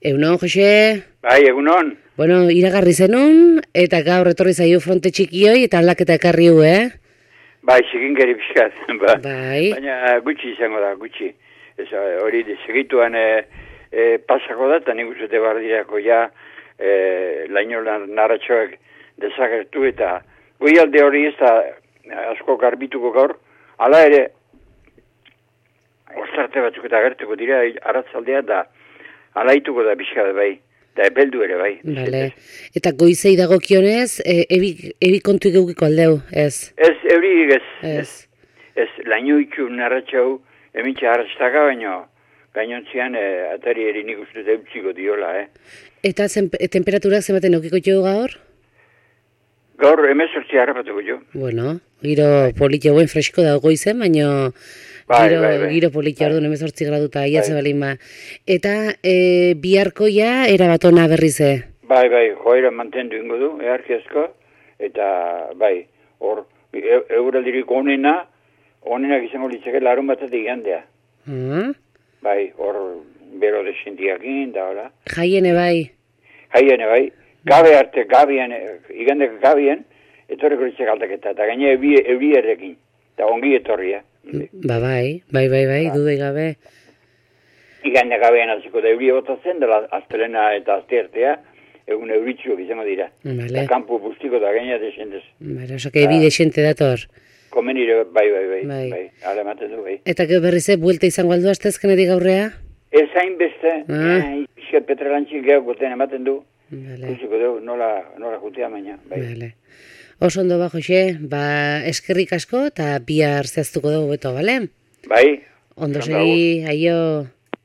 Egunon, Jose? Bai, egunon. Bueno, iragarri zenun, eta gaur etorri zaio fronte txikioi, eta aldaketa ekarri hu, Bai, segingeri pixkat. Bai. Baina gutxi izango da, gutxi. Hori segituan pasako da, eta nik uste bardirako ja laino narratxoak desagertu, eta goialde hori ez da asko garbituko gaur, hala ere, ostarte batzuk eta agertuko dira arratzaldea da, alaituko da pixkat bai. Da epeldu ere bai. Vale. Eta goizei dagokionez, ebi kontu egeukiko aldeu, ez? Ez, eurik ez. Ez. Ez, laino itxu narratxau, emintxe harrastaka, baina gainontzian atari erinik uste deutziko diola, Eta temperaturak zenbaten eukiko jo gaur? Gaur emezortzi harrapatuko jo. Bueno, giro politia buen fresko da goizen, baina... Giro politia orduan 18 graduta iaze balin ba. Eta biharko ja erabatona berrize. Bai, joera mantendu ingo du, earkiazko, eta bai, hor, euraldirik onenak izango litzake larun batatik igandea. Bai, hor, bero desentiakin, da hola. Jaiene bai. Gabe arte, igandeko gabien, etorreko litzake aldaketa, eta gaine euri errekin, eta ongi etorria. Bai, dudai gabe. Igande gabean hasiko da euria botatzen, dela astelena eta asteartea, egun euritxuak izango dira. Vale. Eta kampu bustiko da gaina desentez. Vale, oso que ebi desente dator. Komenire, bai, ala ematen du, bai. Eta gero berrize, buelta izango aldu astezkenetik gaurrea? Ez hain beste, isket petralantxik gehiago goten ematen du. Vale. Kusiko du, nola jutea baina, bai. Vale. Oso ondo ba, Jose, eskerrik asko eta bihar zehaztuko dugu beto, bale? Bai. Ondo segi, aio.